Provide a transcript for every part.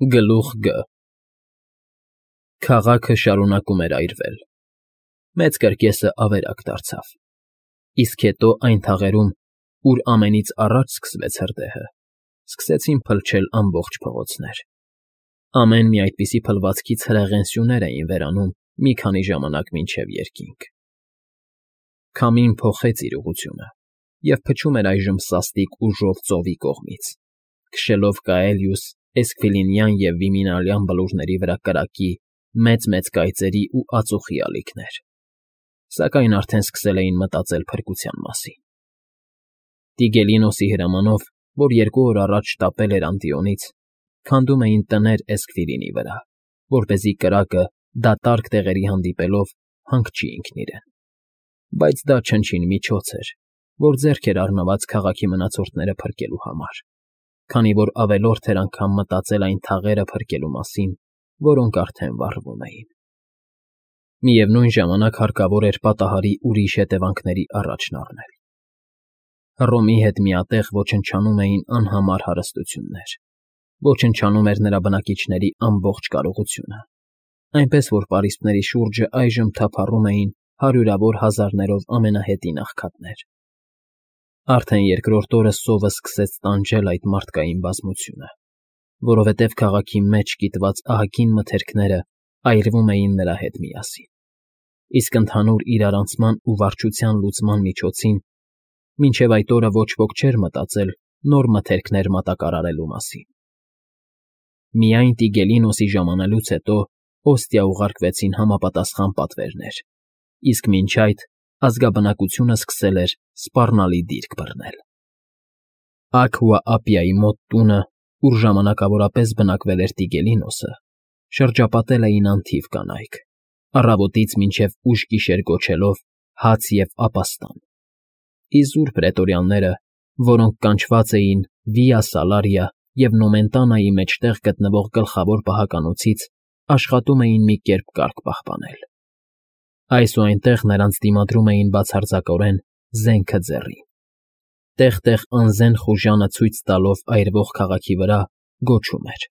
Գլուխ Գ Քաղաքը շարունակում էր այրվել։ Մեծ կրկեսը ավերակ դարձավ, իսկ հետո այն թաղերում, ուր ամենից առաջ սկսվեց հրդեհը, սկսեցին փլչել ամբողջ փողոցներ։ Ամեն մի այդպիսի փլվածքից հրեղեն սյուներ էին վերանում մի քանի ժամանակ մինչև երկինք։ Քամին փոխեց իր ուղղությունը և փչում էր այժմ սաստիկ ուժով ծովի կողմից, քշելով Կաելիուս, Էսքվիլինյան և Վիմինալյան բլուրների վրա կրակի մեծ կայծերի ու ածուխի ալիքներ, սակայն արդեն սկսել էին մտածել փրկության մասին։ Տիգելինոսի հրամանով, որ 2 օր առաջ շտապել էր Անտիոնից, քանդում էին տներ Էսքվիլինի վրա, որպեսզի կրակը դատարկ տեղերի հանդիպելով հանգչի ինքն իրեն։ Բայց դա չնչին միջոց էր, որ ձեռք էր առնված քաղաքի մնացորդները փրկելու համար, քանի որ ավելորդ էր անգամ մտածել այն թաղերը փրկելու մասին, որոնք արդեն վառվում էին։ Միևնույն ժամանակ հարկավոր էր պատահարի ուրիշ հետևանքների առաջն առնել։ Հռոմի հետ միատեղ ոչնչանում էին անհամար հարստություններ, ոչնչանում էր նրա բնակիչների ամբողջ կարողությունը, այնպես որ պարիսպների շուրջը այժմ թափառում էին հարյուրավոր հազարներով ամենահետին աղքատներ։ Արդեն երկրորդ օրը սովը սկսեց տանջել այդ մարդկային բազմությունը, որովհետև քաղաքի մեջ կիտված ահագին մթերքները այրվում էին նրա հետ միասին, իսկ ընդհանուր իրարանցման ու վարչության լուծման միջոցին մինչև այդ օրը ոչ ոք չէր մտածել նոր մթերքներ մատակարարելու մասին։ Միայն Տիգելինոսի ժամանելուց հետո Օստիա ուղարկվեցին համապատասխան պատվերներ, իսկ մինչ այդ ազգաբնակությունը սկսել էր սպառնալի դիրք բռնել։ Աքվա Ապիայի մոտ տունը, ուր ժամանակավորապես բնակվել էր Տիգելինոսը, շրջապատել էին անթիվ կանայք, առավոտից մինչև ուշ գիշեր գոչելով հաց և ապաստան։ Իզուր պրետորյանները, որոնք կանչված էին Վիա Սալարիա և Նոմենտանայի մեջտեղ գտնվող գլխավոր պահականոցից, աշխատում էին մի կերպ կարգ պահպանել։ Այս ու այնտեղ նրանց դիմադրում էին բացարձակորեն զենքը ձեռին։ Տեղ անզեն խուժանը ցույց տալով այրվող քաղաքի վրա գոչում էր.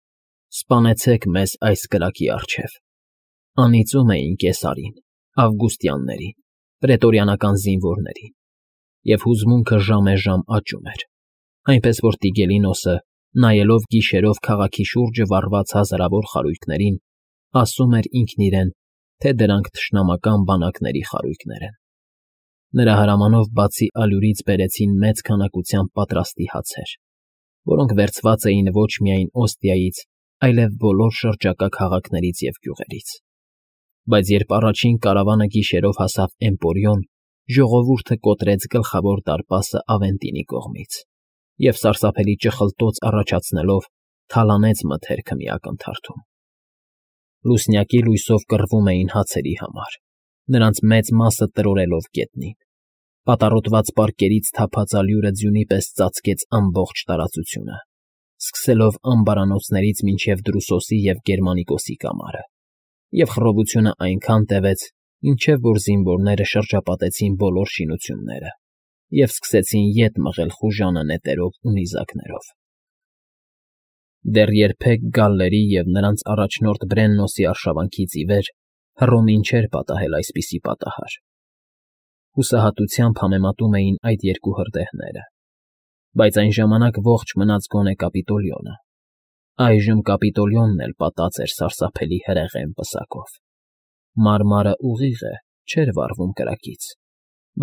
«Սպանեցեք մեզ այս կրակի առջև»։ Անիծում էին Կեսարին, Ավգուստյաններին, պրետորիանական զինվորներին, և հուզմունքը ժամեժամ աճում էր, այնպես որ Տիգելինոսը, նայելով գիշերով քաղաքի շուրջը վառված հազարավոր խարույկներին, ասում էր ինքն իրեն, թե դրանք թշնամական բանակների խարույկներ են։ Նրա հրամանով բացի ալյուրից բերեցին մեծ քանակությամբ պատրաստի հացեր, որոնք վերցված էին ոչ միայն Օստիայից, այլև բոլոր շրջակա քաղաքներից և գյուղերից։ Բայց երբ առաջին կարավանը գիշերով հասավ Էմպորիոն, ժողովուրդը կոտրեց գլխավոր դարպասը Ավենտինի կողմից և սարսափելի ճխլտոց առաջացնելով թալանեց մթերքը մի ակնթարթում։ Լուսնյակի լույսով կռվում էին հացերի համար, նրանց մեծ մասը տրորելով գետնին։ Պատառոտված պարկերից թափած ալյուրը ձյունի պես ծածկեց ամբողջ տարածությունը, սկսելով ամբարանոցներից մինչև Դրուսոսի և Գերմանիկոսի կամարը, և խռովությունը այնքան տևեց, մինչև որ զինվորները շրջապատեցին բոլոր շինությունները և սկսեցին ետ մղել խուժանը նետերով ու նիզակներով։ Դեռ երբեք գալլերի և նրանց առաջնորդ Բրեննոսի արշավանքից ի վեր Հռոմին չէր պատահել այսպիսի պատահար։ Հուսահատությամբ համեմատում էին այդ երկու հրդեհները, բայց այն ժամանակ ողջ մնաց գոնե Կապիտոլիոնը։ Այժմ Կապիտոլիոնն էլ պատած էր սարսափելի հրեղեն պսակով։ Մարմարը ուղիղ է, չէր վառվում կրակից,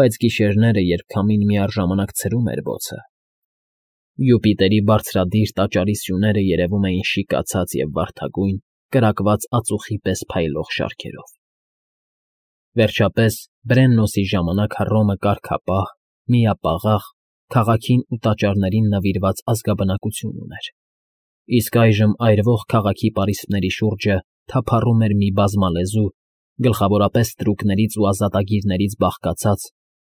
բայց գիշերները, երբ քամին միառժամանակ ցրում էր բոցը, Յուպիտերի բարձրադիր տաճարի սյուները երևում էին շիկացած և վարդագույն, կրակված ածուխի պես փայլող շարքերով։ Վերջապես, Բրեննոսի ժամանակ Հռոմը կարգապահ, միապաղաղ, քաղաքին ու տաճարներին նվիրված ազգաբնակություն ուներ, իսկ այժմ այրվող քաղաքի պարիսպների շուրջը թափառում էր մի բազմալեզու, գլխավորապես ստրուկներից ու ազատագիրներից բաղկացած,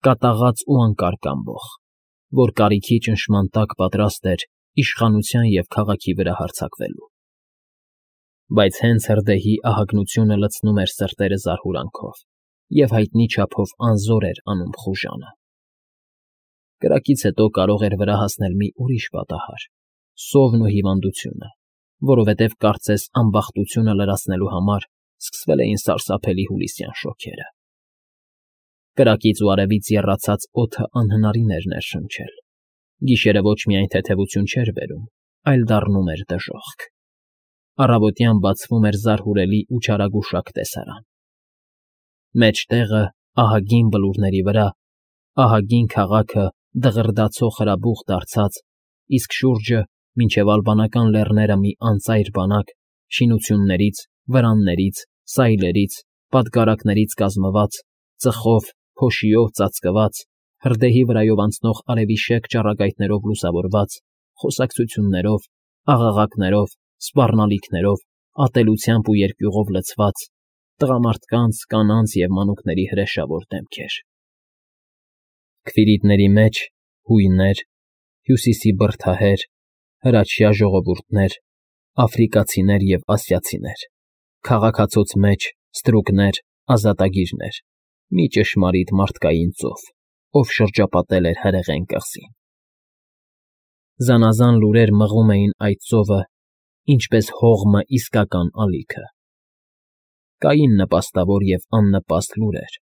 կատաղած ու անկարգ ամբոխ, որ կարիքի ճնշման տակ պատրաստ էր իշխանության և քաղաքի վրա հարձակվելու։ Բայց հենց հրդեհի ահագնությունը լցնում էր սրտերը զարհուրանքով և հայտնի չափով անզոր էր անում խուժանը։ Կրակից հետո կարող էր վրա հասնել մի ուրիշ պատահար՝ սովն ու հիվանդությունը, որովհետև կարծես անբախտությունը լրացնելու համար սկսվել էին սարսափելի հուլիսյան շոգերը։ Կրակից ու արևից եռացած օդը անհնարին էր ներշնչել։ Գիշերը ոչ միայն թեթևություն չէր բերում, այլ դառնում էր դժոխք։ Առավոտյան բացվում էր զարհուրելի ու չարագուշակ տեսարան։ Մեջտեղը, ահագին բլուրների վրա, ահագին քաղաքը դղրդացող հրաբուխ դարձած, իսկ շուրջը, մինչև ալբանական լեռները մի անծայր բանակ, շինություններից, վրաններից, սայլերից, պատգարակներից կազմված, ծխով, փոշիով ծածկված, հրդեհի վրայով անցնող արևի շեկ ճառագայթներով լուսավորված, խոսակցություններով, աղաղակներով, սպառնալիքներով, ատելությամբ ու երկյուղով լցված, տղամարդկանց, կանանց և մանուկների հրեշավոր դեմքեր։ Քվիրիտների մեջ հույներ, հյուսիսի բրդահեր, հրաչյա ժողովուրդներ, աֆրիկացիներ և ասիացիներ, քաղաքացոց մեջ ստրուկներ, ազատագիրներ, մի ճշմարիտ մարդկային ծով, ով շրջապատել էր հրեղեն կղզին։ Զանազան լուրեր մղում էին այդ ծովը, ինչպես հողմը իսկական ալիքը։ Կային նպաստավոր և աննպաստ լուրեր,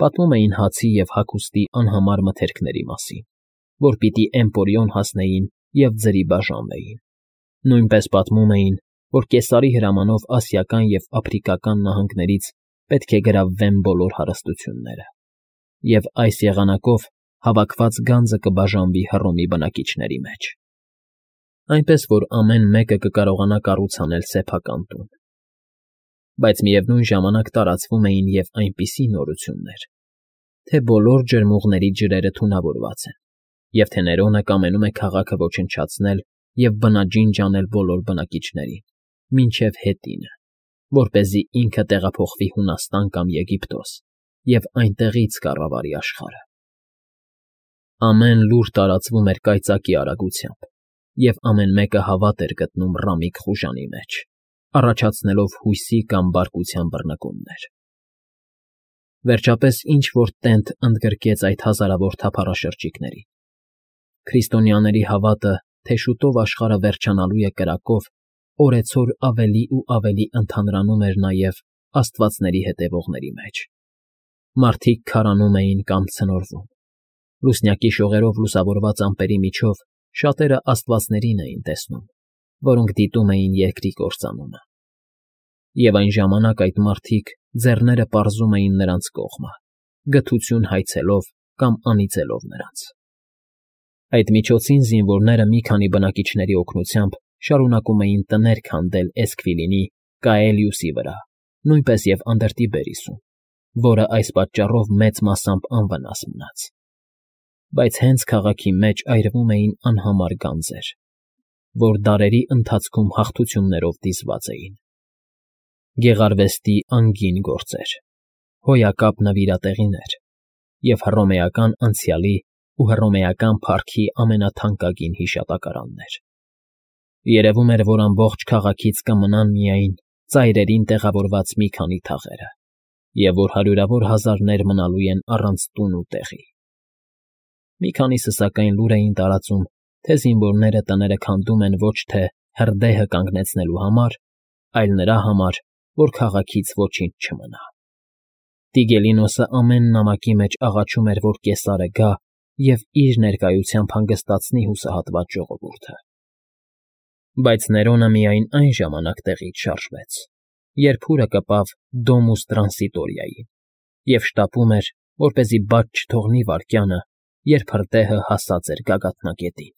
պատմում էին հացի և հագուստի անհամար մթերքների մասին, որ պիտի Էմպորիոն հասնեին և ձրի բաժանվեին։ Նույնպես պատմում էին, որ Կեսարի հրամանով ասիական և աֆրիկական նահանգներից պետք է գրավվեն բոլոր հարստությունները, և այս եղանակով հավաքված գանձը կբաժանվի Հռոմի բնակիչների մեջ, այնպես որ ամեն մեկը կկարողանա կառույց անել սեփական տուն։ Բայց միևնույն ժամանակ տարածվում էին և այնպիսի նորություններ, թե բոլոր ջրմուղների ջրերը թունավորված են, և թե Ներոնը կամենում է քաղաքը ոչնչացնել և բնաջինջ անել բոլոր բնակիչներին, մինչև հետինը, որպեսզի ինքը տեղափոխվի Հունաստան կամ Եգիպտոս և այնտեղից կառավարի աշխարհը։ Ամեն լուր տարածվում էր կայծակի արագությամբ, և ամեն մեկը հավատ էր գտնում ռամիկ խուժանի մեջ, առաջացնելով հույսի կամ բարկության բռնկումներ։ Վերջապես ինչ֊որ տենթ ընդգրկեց այդ հազարավոր թափառաշրջիկներին։ Քրիստոնյաների հավատը, թե շուտով աշխարհը վերջանալու է կրակով, օրեցօր ավելի ու ավելի ընդհանրանում էր նաև աստվածների հետևողների մեջ։ Մարդիկ քարանում էին կամ ցնորվում։ Լուսնյակի շողերով լուսավորված ամպերի միջով շատերը աստվածներին էին տեսնում, որոնք դիտում էին երկրի կործանումը։ Եվ այն ժամանակ այդ մարդիկ ձեռները պարզում էին նրանց կողմը, գթություն հայցելով կամ անիծելով նրանց։ Այդ միջոցին զինվորները մի քանի բնակիչների օգնությամբ շարունակում էին տներ քանդել Էսքվիլինի, Կաելիուսի վրա, նույնպես և Անդրտիբերիսում, որը այս պատճառով մեծ մասամբ անվնաս մնաց։ Բայց հենց քաղաքի մեջ այրվում էին անհամար գանձեր, որ դարերի ընթացքում հաղթություններով դիզված էին։ Գեղարվեստի անգին գործեր, հոյակապ նվիրատեղիներ և հռոմեական անցյալի ու հռոմեական փառքի ամենաթանկագին հիշատակարաններ։ Երևում էր, որ ամբողջ քաղաքից կմնան միայն ծայրերին տեղավորված մի քանի թաղերը, և որ հարյուրավոր հազարներ մնալու են առանց տուն ու տեղի։ Մի քանիսը սակայն լուր էին տարածում, թե զինվորները տները քանդում են ոչ թե հրդեհը կանգնեցնելու համար, այլ նրա համար, որ քաղաքից ոչինչ չմնա։ Տիգելինոսը ամեն նամակի մեջ աղաչում էր, որ Կեսարը գա և իր ներկայությամբ հանգստացնի հուսահատված ժողովուրդը։ Բայց Ներոնը միայն այն ժամանակ տեղից շարժվեց, երբ հուրը կպավ Դոմուս Տրանսիտորիային և շտապում էր, որպեսզի բաց չթողնի վայրկյանը, երբ հրդեհը հասած էր գագաթնակետին։